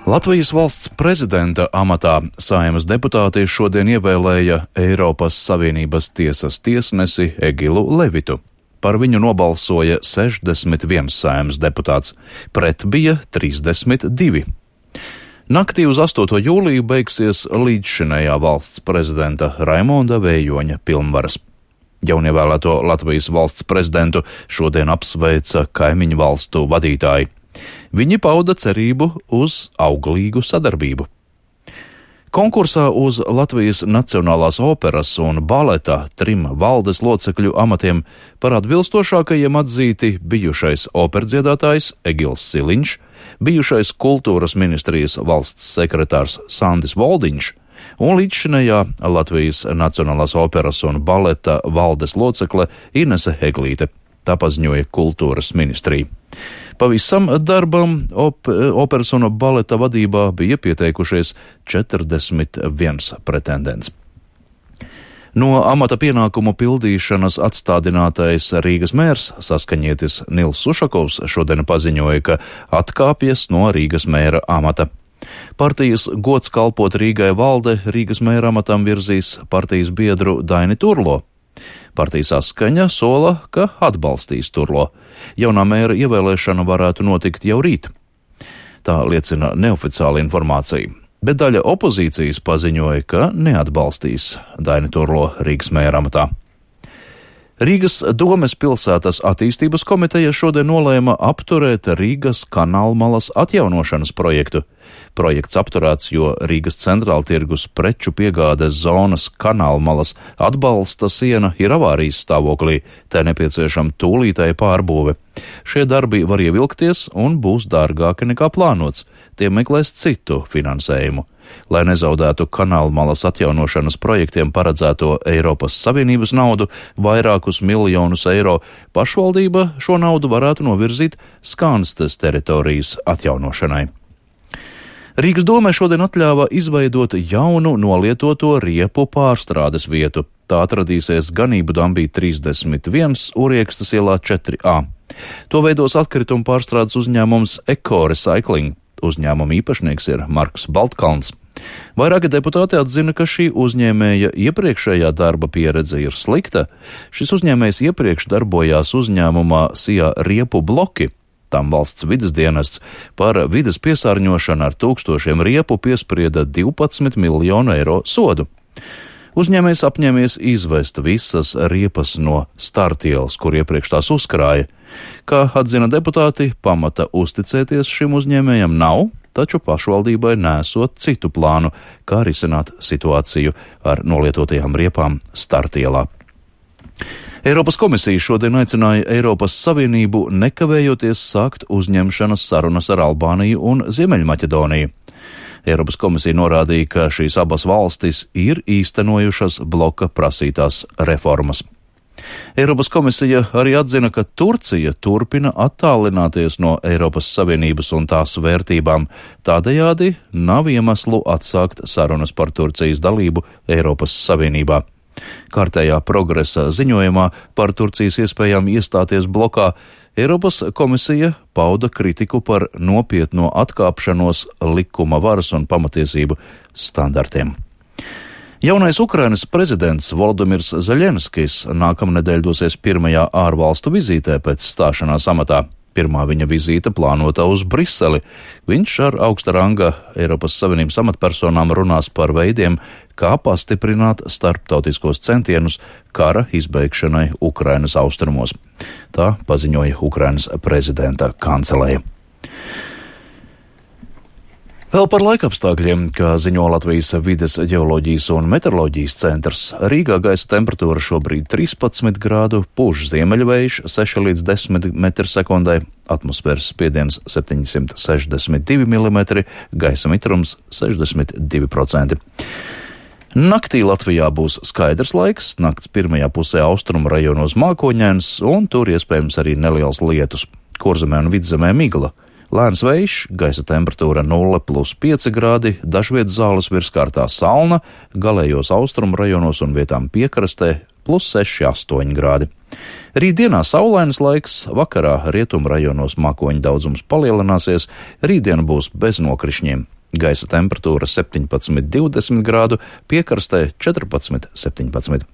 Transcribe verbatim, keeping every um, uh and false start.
Latvijas valsts prezidenta amatā Saeimas deputāti šodien ievēlēja Eiropas Savienības tiesas tiesnesi Egilu Levitu. Par viņu nobalsoja sešdesmit viens Saeimas deputāts, pret bija trīsdesmit divi. Naktī uz astoto jūliju beigsies līdzšinējā valsts prezidenta Raimonda Vējoņa pilnvaras. Jaunievēlēto Latvijas valsts prezidentu šodien apsveica kaimiņu valstu vadītāji. Viņi pauda cerību uz auglīgu sadarbību. Konkursā uz Latvijas Nacionālās operas un baleta trim valdes locekļu amatiem par atbilstošākajiem atzīti bijušais operdziedātājs Egils Siliņš, bijušais kultūras ministrijas valsts sekretārs Sandis Voldiņš un līdzšinējā Latvijas Nacionālās operas un baleta valdes locekle Inese Heglīte. Tā paziņoja kultūras ministrija. Pavisam darbam op, operas un baleta vadībā bija pieteikušies četrdesmit viens pretendents. No amata pienākumu pildīšanas atstādinātais Rīgas mērs saskaņietis Nils Sušakovs šodien paziņoja, ka atkāpjas no Rīgas mēra amata. Partijas gods kalpot Rīgai valde Rīgas mēra amatam virzīs partijas biedru Daini Turlo. Partija Saskaņa sola, ka atbalstīs Turlo. Jaunā mēra ievēlēšana varētu notikt jau rīt. Tā liecina neoficiāla informācija, bet daļa opozīcijas paziņoja, ka neatbalstīs Daini Turlo Rīgas mēra amatā. Rīgas domes pilsētas attīstības komiteja šodien nolēma apturēt Rīgas kanālmalas atjaunošanas projektu. Projekts apturēts, jo Rīgas centrāla tirgus preču piegādes zonas kanālmalas atbalsta siena ir avārijas stāvoklī, tai nepieciešama tūlītēja pārbūve. Šie darbi var ievilkties un būs dārgāki nekā plānots. Tie meklēs citu finansējumu. Lai nezaudētu kanālmalas atjaunošanas projektiem paredzēto Eiropas Savienības naudu, vairākus miljonus eiro, pašvaldība šo naudu varētu novirzīt Skanstes teritorijas atjaunošanai. Rīgas dome šodien atļāva izveidot jaunu nolietoto riepu pārstrādes vietu. Tā atradīsies Ganību dambī trīsdesmit viens, Uriekstas ielā četri A. To veidos atkritumu pārstrādes uzņēmums Eko Recycling. Uzņēmuma īpašnieks ir Marks Baltkalns. Vairāki deputāti atzina, ka šī uzņēmēja iepriekšējā darba pieredze ir slikta. Šis uzņēmējs iepriekš darbojās uzņēmumā Sijā riepu bloki. Tam valsts vides dienests par vides piesārņošanu ar tūkstošiem riepu piesprieda divpadsmit miljonu eiro sodu. Uzņēmējs apņēmies izvest visas riepas no startielas, kur iepriekš tās uzkrāja. Kā atzina deputāti, pamata uzticēties šim uzņēmējam nav, taču pašvaldībai nesot citu plānu, kā risināt situāciju ar nolietotajām riepām startielā. Eiropas komisija šodien aicināja Eiropas Savienību nekavējoties sākt uzņemšanas sarunas ar Albāniju un Ziemeļmaķedoniju. Eiropas komisija norādīja, ka šīs abas valstis ir īstenojušas bloka prasītās reformas. Eiropas komisija arī atzina, ka Turcija turpina attālināties no Eiropas Savienības un tās vērtībām. Tādējādi nav iemeslu atsākt sarunas par Turcijas dalību Eiropas Savienībā. Kārtējā progresa ziņojumā par Turcijas iespējām iestāties blokā Eiropas komisija pauda kritiku par nopietno atkāpšanos likuma varas un pamatiesību standartiem. Jaunais Ukrainas prezidents Volodimirs Zeļenskis nākamnedēļ dosies pirmajā ārvalstu vizītē pēc stāšanās amatā. Pirmā viņa vizīte plānota uz Briseli. Viņš ar augsta ranga Eiropas Savienības amatpersonām runās par veidiem, kā pastiprināt starptautiskos centienus kara izbeigšanai Ukrainas austrumos. Tā paziņoja Ukrainas prezidenta kanceleja. Vēl par laikapstākļiem, kā ziņo Latvijas vides ģeoloģijas un meteoroloģijas centrs, Rīgā gaisa temperatūra šobrīd trīspadsmit grādu, pūš ziemeļvējš seši līdz desmit metri sekundē, atmosfēras spiediens septiņsimt sešdesmit divi milimetri, gaisa mitrums sešdesmit divi procenti. Naktī Latvijā būs skaidrs laiks, nakts pirmajā pusē austrumu rajonos mākoņains un tur iespējams arī neliels lietus. Kurzemē un Vidzemē migla. Lēns vējš, gaisa temperatūra nulle plus pieci grādi, dažviet zāles virskārtā salna, galējos austrumu rajonos un vietām piekrastē plus seši astoņi grādi. Rītdienā saulains laiks, vakarā rietumu rajonos mākoņu daudzums palielināsies, rītdiena būs bez nokrišņiem. Gaisa temperatūra septiņpadsmit līdz divdesmit grādu, piekrastē četrpadsmit līdz septiņpadsmit.